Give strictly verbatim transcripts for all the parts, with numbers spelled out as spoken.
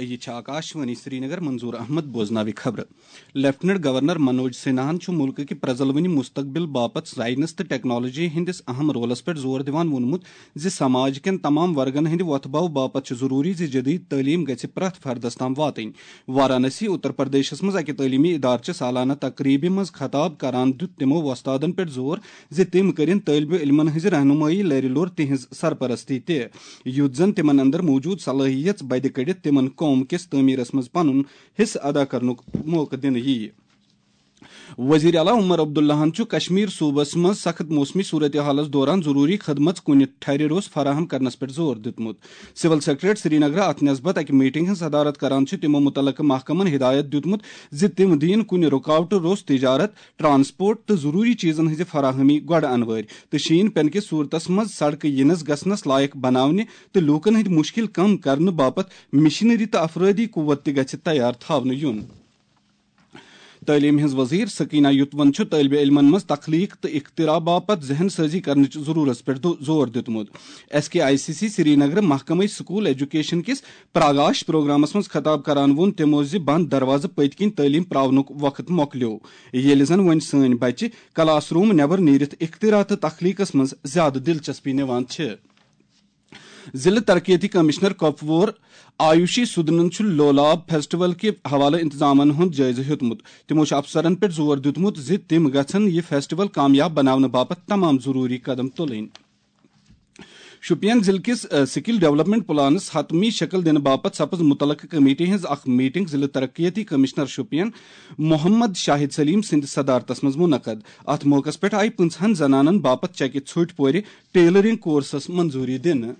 یہِ چھِ آکاشوانی سرینگر، منظور احمد بوزناوِ خبرٕ۔ لیفٹیننٹ گورنر منوج سنہاہن چھُ مُلکہٕ کہِ پرٛزلوٕنہِ مستقبل باپتھ سائنس تہٕ ٹیکنالوجی ہٕنٛدِس اہم رولس پٮ۪ٹھ زور دِوان ووٚنمُت زِ سماج کٮ۪ن تمام ورگن ہٕنٛدِ وۄتھٕ باو باپتھ چھُ ضروٗری زِ جدید تعلیٖم گژھِ پرٛٮ۪تھ فردس تام واتٕنۍ۔ وارانسی، اتر پردیشس منٛز اکہِ تعلیمی ادارٕ چہِ سالانہٕ تقریبہِ منٛز خطاب کران دیُت تِمو وۄستادن پٮ۪ٹھ زور زِ تِم کٔرِن طٲلبہِ علمن ہٕنٛزِ رہنمٲیی لرِ لوٚر تِہنٛز سرپرستی تہِ، یُتھ زن تِمن اندر موجود صلٲحیت بدِ کٔڑِتھ تِمن قوم کِس تعمیرس منٛز پنُن حصہٕ ادا کرنُک موقعہٕ دِنہٕ یِیہِ۔ وزیر اعلیٰ عمر عبداللہن چھُ کشمیر صوبس منٛز سخت موسمی صورتحالس دوران ضروری خدمت کُنہِ ٹھہرِ روٚس فراہم کرنس پٮ۪ٹھ زور دیُتمُت۔ سول سیکرٹریٹ سرینگرٕ اتھ نسبت اکہِ میٹنگ ہٕنٛز صدارت کران چھُ تِمو متعلقہٕ محکمن ہدایت دیُتمُت زِ تِم دِیِن کُنہِ رُکاوٹہٕ روٚس تجارت، ٹرانسپورٹ تہٕ ضروٗری چیزن ہٕنٛزِ فراہمی گۄڈٕ انوٲرۍ تہٕ شیٖن پٮ۪نہٕ کِس صورتس منٛز سڑکہٕ یِنس گژھنس لایق بناونہِ تہٕ لوٗکن ہٕنٛدۍ مشکل کم کرنہٕ باپتھ مشینری تہٕ افرٲدی قوت تہِ گژھِ تیار تھاونہٕ یُن۔ تعلیٖم ہٕنٛز وزیر سکینہ یوتون چھُ طٲلبہِ علمن منٛز تخلیق تہٕ اختراع باپتھ ذہن سٲزی کرنٕچ ضروٗرتس پٮ۪ٹھ دو-، زور دیُتمُت۔ S K I C C سرینگرٕ محکمہٕ سکول ایجوکیشن کِس پراگاش پروگرامس منٛز خطاب کران ووٚن تِمو زِ بند دروازٕ پٔتۍ کِنۍ تعلیٖم پراونُک وقت مۄکلیو، ییٚلہِ زن وۄنۍ سٲنۍ بچہِ کلاس روم نٮ۪بر نیٖرِتھ اختراع تہٕ تخلیقس منٛز زیادٕ دلچسپی نِوان چھِ۔ ضلع ترقیتی کمشنر کۄپوور آیوشی سودنن چھُ لولاب فیسٹیول کہِ حوالہٕ انتظامن ہُنٛد جٲیزٕ ہیوٚتمُت۔ تِمو چھُ افسرن پٮ۪ٹھ زور دیُتمُت زِ تِم گژھن یہِ فیسٹیول کامیاب بناونہٕ باپتھ تمام ضروٗری قدم تُلٕنۍ۔ شوپین ضلع کِس، ا، سکل ڈیولپمنٹ پلانس حتمی شکل دِنہٕ باپتھ سپز متعلقہٕ کمیٹی ہٕنٛز اکھ میٹنگ ضلع ترقیتی کمشنر شوپین محمد شاہد سلیم سٕنٛدِ صدارتس منٛز منعقد۔ اتھ موقعس پٮ۪ٹھ آیہِ پٕنٛژٕہن زنانن باپتھ چکہِ ژھوٚٹۍ پورِ ٹیلرنگ کورسس منظوٗری دِنہٕ۔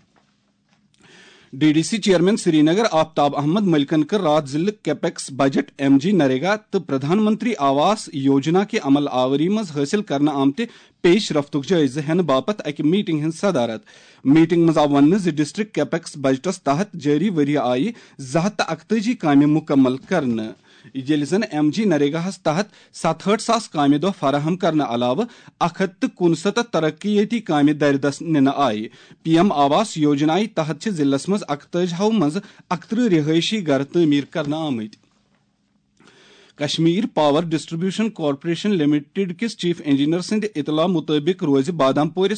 D D C chairman Srinagar Aftab Ahmad ملکن کٔر راتھ ضلع capex budget, M G NREGA تہٕ پردھان منتری آواس یوجنا کہِ عمل آوری منٛز حٲصِل کرنہٕ آمتہِ پیش رفتُک جٲیزٕ ہٮ۪نہٕ باپتھ اکہِ میٹنگ ہٕنٛز صدارت۔ میٹنگ منٛز آو وننہٕ زِ ڈسٹرکٹ کیپیکس بجٹس تحت جٲری ؤریہِ آیہِ زٕ ہتھ تہٕ اکتٲجی کامہِ مُکمل کرنہٕ، ییٚلہِ زن ایم جی نریگاہس تحت ستہٲٹھ ساس کامہِ دۄہ فراہم کرنہٕ علاوٕ اکھ ہتھ تہٕ کُنستتھ ترقیتی کامہِ دردس نِنہٕ آیہِ۔ پی ایم آواس یوجنایہِ تحت چھِ ضلعس منٛز اکتٲجی ہو منٛز اکترٕہ رہٲیشی گرٕ تعمیٖر کرنہٕ آمٕتۍ۔ Kashmir power distribution corporation limited کِس چیف انجینئر سٕنٛدِ اطلاع مُطٲبِق روزِ بادام پورِ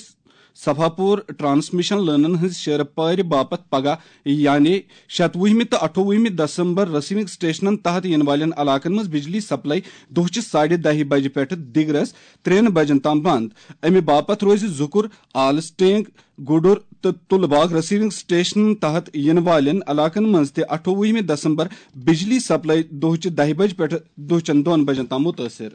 صفا پور ٹرانسمیشن لٲنن ہٕنٛز شیرٕ پارِ باپتھ پگاہ، یعنی شتوُہمہِ تہٕ اَٹھووُہمہِ دسمبر، رسیونگ سٹیشنن تحت یِنہٕ والٮ۪ن علاقن منٛز بجلی سپلائی دۄہچہِ ساڑِ دَہہِ بجہِ پٮ۪ٹھٕ دِگرس ترٛٮ۪ن بجن تام بند۔ امہِ باپتھ روزِ زُکُر، آلس ٹینگ، گُڈُر تہٕ تُلہٕ باغ رسیونگ سٹیشنن تحت یِنہٕ والٮ۪ن علاقن منٛز تہِ اَٹھووُہمہِ دسمبر بجلی سپلائی دۄہچہِ دَہہِ بجہِ پٮ۪ٹھٕ دۄہچن دۄن بجن تام مُتٲثر۔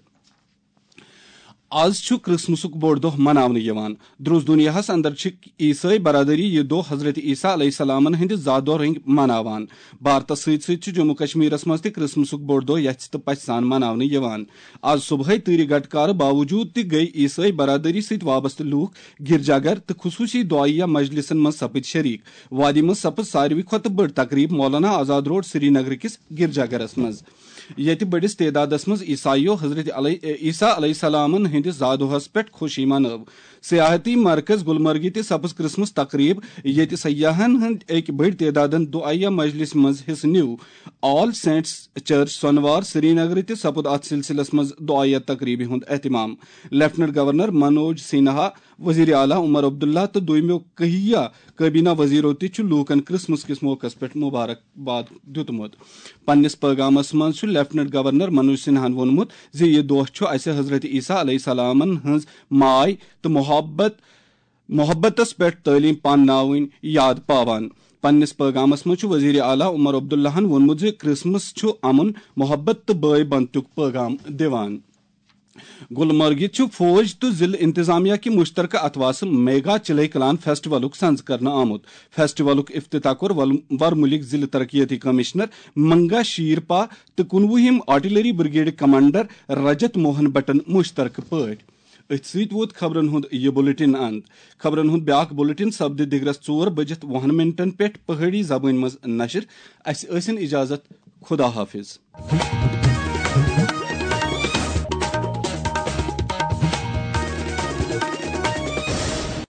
آز چھُ کرسمسُک بوٚڑ دۄہ مناونہٕ یِوان۔ درٛوس دُنیاہَس اندر چھِ عیسٲے برادری یہِ دۄہ حضرت عیسیٰ علیہ السلامن ہٕنٛدِ زا دۄہ رٔنگۍ مناوان۔ بھارتس سۭتۍ سۭتۍ چھُ جموں کشمیرس منٛز تہِ کرسمسُک بوٚڑ دۄہ یژھِ تہٕ پژھِ سان مناونہٕ یِوان۔ آز صبحٲے تۭرِ گٹکارٕ باوجود تہِ گٔیہِ عیسٲے برادری سۭتۍ وابستہٕ لوٗکھ گرجا گھر تہٕ خصوٗصی دعائیہ مجلسن منٛز سپٕدۍ شریک۔ وادی منٛز سپٕز ساروی کھۄتہٕ بٔڑ تقریب مولانا آزاد روڈ سرینگر کِس گرجا گھرس منٛز، ییٚتہِ بٔڑِس تعدادس منٛز عیسائیو حضرت علی-، عیسیٰ علیہ السلامن ہٕنٛدِس زا دۄہس پٮ۪ٹھ خوشی منٲو۔ سیاحتی مرکز گلمرگہِ تہِ سپٕز کرسمس تقریب، ییٚتہِ سیاحن ہٕنٛدۍ أکۍ بٔڑۍ تعدادن دعائیہ مجلس منٛز حصہٕ نیوٗ۔ آل سینٹس چرچ سۄنوار سرینگرٕ تہِ سپُد اتھ سلسلس منٛز دعائیہ تقریبہِ ہُنٛد اہتمام۔ لیفٹیننٹ گورنر منوج سنہا، وزیر اعلیٰ عمر عبداللہ تہٕ دوٚیمٮ۪و کہیہ کابینہ وزیرو تہِ چھُ لوٗکن کرسمس کِس موقعس پٮ۪ٹھ مبارکباد دیُتمُت۔ پننِس پٲغامس منٛز چھُ لیفٹیننٹ گورنر منوج سنہاہن ووٚنمُت زِ یہِ دۄہ چھُ اسہِ حضرت عیسیٰ علیہ السلامن ہٕنٛز ماے تہٕ محبت، محبتس پٮ۪ٹھ تعلیٖم پانناوٕنۍ یاد پاوان۔ پننِس پٲغامس منٛز چھُ وزیر اعلیٰ عمر عبداللہن ووٚنمُت زِ کرسمس چھُ امن، محبت تہٕ بٲے بنتُک پٲغام دِوان۔ گلمرگہِ چھُ فوج تہٕ ضلع انتظامیہ کہِ مشترکہ اتھواسہٕ میگا چلے کلان فیسٹیولُک سنز کرنہٕ آمُت۔ فیسٹیولُک افتتاح کوٚر ول-، ورمُلِک ضلع ترقیتی کمشنر منگا شیرپا تہٕ کُنوُہِم artillery brigade commander Rajat Mohan بٹن مشترکہ پٲٹھۍ۔ أتھۍ سۭتۍ ووت خبرن ہُنٛد یہِ بلیٹن اند۔ خبرن ہُنٛد بیاکھ بلیٹن سپدِ دِگرس ژور بجِتھ وُہن منٹن پٮ۪ٹھ پہٲڑی زبٲنۍ منٛز نشر۔ اسہِ ٲسِن اجازت۔ خدا حافظ۔